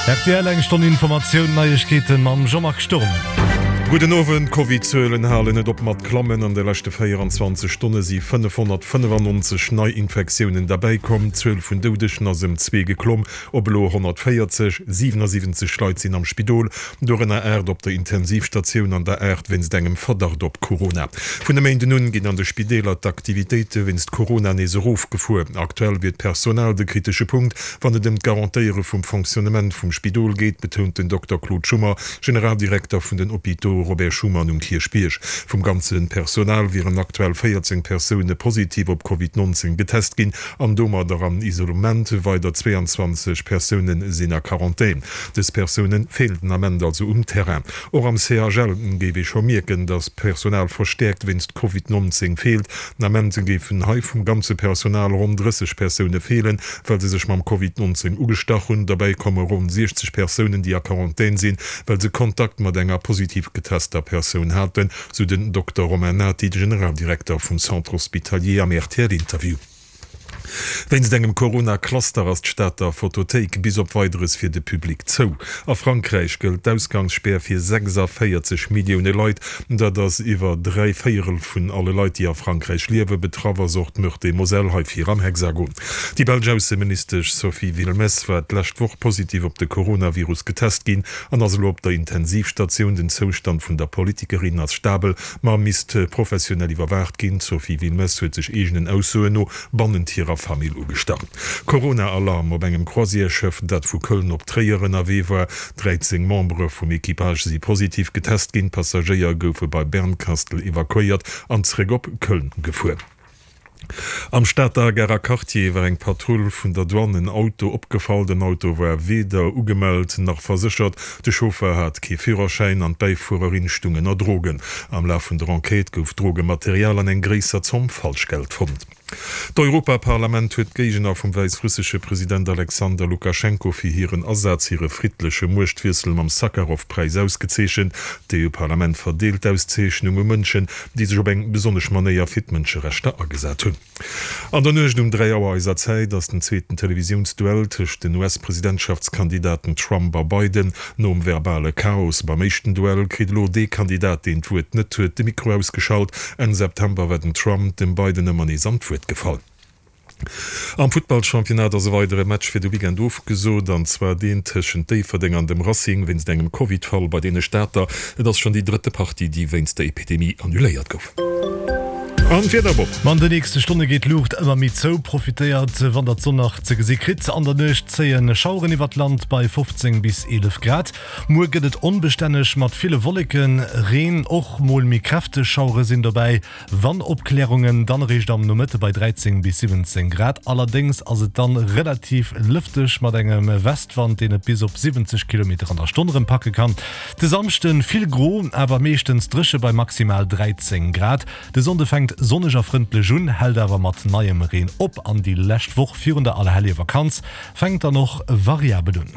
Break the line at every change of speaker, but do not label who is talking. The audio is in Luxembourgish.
Rtl eng Stonn Informatioun, Neiegkeeten mam Jean-Marc Sturm.
Gudden Owend, D'Covid-Zuelen halen net op mat klammen. An de leschte 24 Stonne si 595 Neiinfektiounen derbäikomm. D'Zuel vun Doudegen ass ëm zwee geklomm, op elo 140. 77 Leit sinn am Spidol, dorënner 8 op der Intensivstatioun an der 8 wéinst engem Verdacht op Corona. Vun e Méinden un ginn an de Spideeler d'Aktivitéite wéinst Corona nees erofgefuer. Aktuell wier d'Personal de kritesche Punkt, wann et ëm d'Garantéiere vum Fonctionnement vum Spidol geet, betount den Dokter Claude Schummer, Generaldirekter vun den Hôpitaux Robert Schuman um Kierchbierg. Vum ganze Personal wieren aktuell 14 Persoune positiv op Covid 19 getest ginn an domadder am Isolement. Weider 22 Persoune sinn a Quarantän. Dës Persoune feelen den Ament also um Terrain. Och am CHL géif ee scho mierken, datt Personal verstäerkt wéinst Covid 19 feelt. Den Ament géifen hei vum ganze Personal ronn 30 Persoune feelen, well se sech mam Covid 19 ugestach hunn. Derbäi komme ronn 60 Persounen, déi a Quarantän sinn, well se Kontakt mat enger positiv getester Persoun haten, sou den Dokter Romain Nati, de Generaldirekter vum Centre Hospitalier am RTL-Interview. Wéinst engem Corona-Cluster ass d'Stater Fotothéik bis op Weideres fir de Public zou. A Frankräich gëllt d'Ausgangsspär fir 46 Millioune Leit. Dat ass iwwer 3 Véierel vun alle Leit, déi a Frankräich liewen. Betraff ass och d'Meurthe-et-Moselle, hei vir am Hexagon. Déi belsch Ausseministesch Sophie Wilmès war d'lescht Woch positiv op de Coronavirus getest ginn an ass elo op der Intensivstatioun. Den Zoustand vun der Politikerin ass stabel, ma misst professionell iwwerwaacht ginn. D'Sophie Wilmès huet sech eegenen Aussoen no bannent hirer Famill ugestach. Corona-Alarm op engem Croisièreschëff, dat vu Köln op Tréier ënnerwee war. 13 Membere vum Equipage si positiv getest ginn. D'Passagéier goufe bei Bernkastel evakuéiert an zeréck op Köln gefuer. Am Stater Garer Quartier war eng Patrull vun der Douane en Auto opgefall. Den Auto war weder ugemellt nach verséchert, de Chauffer hat kee Führerschäin an d'Bäifuererin stung ënner Drogen. Am Laf vun der Enquête gouf Drogematerial an eng gréisser Zomm Falschgeld fonnt. D'Europaparlament huet d'Géigner vum wäissrussesche President Alexander Lukaschenko fir hiren Asaz, hire friddleche Muechtwiessel mam Sakharov-Präis ausgezeechent. D'EU-Parlament verdeelt d'Auszeechnung u Mënschen, déi sech op eng besonnesch Manéier fir d'Mënscherechter agesat hunn. An der Nuecht um 3 Auer eiser Zäit ass den zweeten Televisiounsduell tëscht den US-Presidentschaftskandidaten Trump a Biden. Nom verbale Chaos beim éischten Duell kritt elo dee Kandidat, deen d'Wuert net huet, de Mikro ausgeschalt. Enn September war den Trump dem Biden ëmmer nees an d'Wuert gefall. Am Futtballchampionnat ass e weidere Match fir de Weekend ofgesot, an zwar deen tëschent Déifferdeng an dem Racing wéinst engem Covid-Fall bei deene Stater. Et ass schonn déi drëtte Partie, déi wéinst der Epidemie annuléiert gouf. An d'Wieder, Bob?
Ma an de nächste Stonne geet d'Luucht ëmmer méi zou. Profitéiert, wann der d'Sonn nach ze gesi kritt. An der Nuecht zéie Schaueren iwwert d'Land bei 15 bis 11 Grad. Muer gëtt et onbestänneg mat ville Wolleken, Reen, och mol méi kräfteg Schauere sinn dobäi. Wann Opklärungen, dann eréischt am Nomëtte bei 13 bis 17 Grad. Allerdéngs ass et dann relativ lëfteg mat engem Westwand, deen et bis op 70 Kilometer an der Stonn erëm packe kann. De Samschde vill gro, awer meeschtens dréche bei maximal 13 Grad. De Sonnde fänkt sonneg a frëndlech un, hält awer mat neiem Reen op an déi lescht Woch virun der Allerhellevakanz fänkt dann och variabel un.